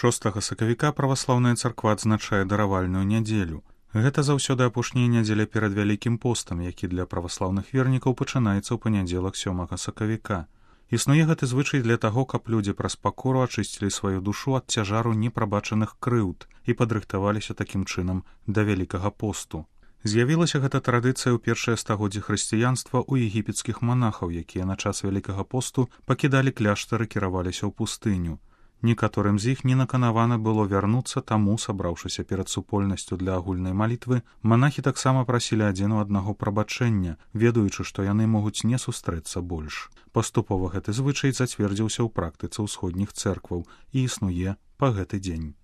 6 сакавіка праваслаўная царква адзначае даравальную нядзелю. Гэта заўсёды апошняя нядзеля перад вялікім постам, які для праваслаўных вернікаў пачынаецца ў панядзелак 7 сакавіка. Існуе гэты звычай для таго, каб людзі праз пакору ачысцілі сваю душу ад цяжару непрабачаных крыўд і падрыхтаваліся такім чынам да вялікага посту. З'явілася гэта традыцыя ў першае стагоддзе хрысціянства ў егіпецкіх манахаў, якія на час вялікага посту пакідалі кляштар і кіраваліся ў пустыню. Некаторым з іх не наканавана было вярнуцца, таму, сабраўшыся перад супольнасцю для агульнай малітвы, манахі таксама прасілі адзін у аднаго прабачэння, ведаючы, што яны могуць не сустрэцца больш. Паступова гэты звычай зацвердзіўся ў практыцы ўсходніх цэркваў і існуе па гэты дзень.